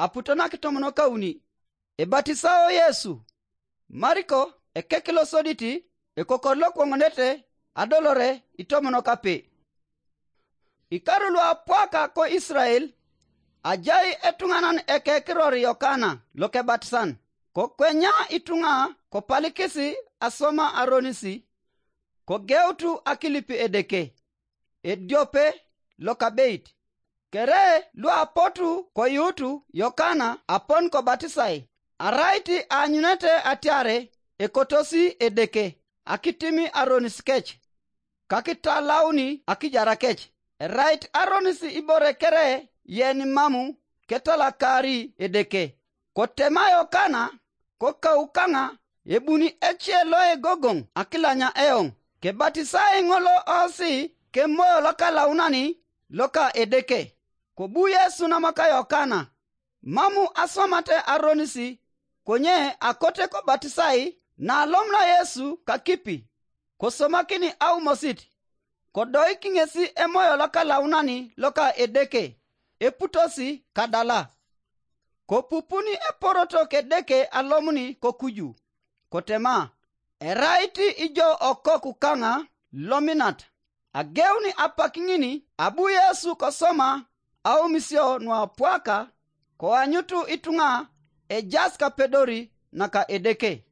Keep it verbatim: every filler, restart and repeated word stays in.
aputo na kitomonokauni. Ebatisao Yesu. Mariko ekekilosoditi, ekokor lokwoŋonete adolore itomonokape. Ikaru luapwaka ko Israel, ajai etuŋanan ekekiror Yokana lokebatisan, kokwenya ituŋa kopalikisi asoma aronisi, kogeutu akilipi Edeke, ediope lokabeit. Kere luapotu koyuutu Yokana apon kobatisai, arait aanyunete atiare ekotosi Edeke akitimi aronis kec, kakitalauni akijara kec. Erait aronis ibore kere yen mamu ketalakari Edeke. Kotema Yokana, kokaukaŋa, ebuni ece loegogoŋ akilanya eoŋ, kebatisai ŋolo osi kemoyo lokalaunani loka Edeke. Kobu Yesu namaka Yokana, mamu aswamate aronisi, konye akote kobatisai. Nalomuna Yesu kakipi, kosomakini aumosit, kodoik ŋesi emoyo lokalaunani loka Edeke, eputosi kadala. Kopupuni eporoto kedeke alomuni kokuju, kotema, erait ijo okoku kaŋa lominat. Ageuni apak ŋini abu Yesu kosoma aumisio nuapwaka, koanyutu ituŋa ejas kapedori naka Edeke.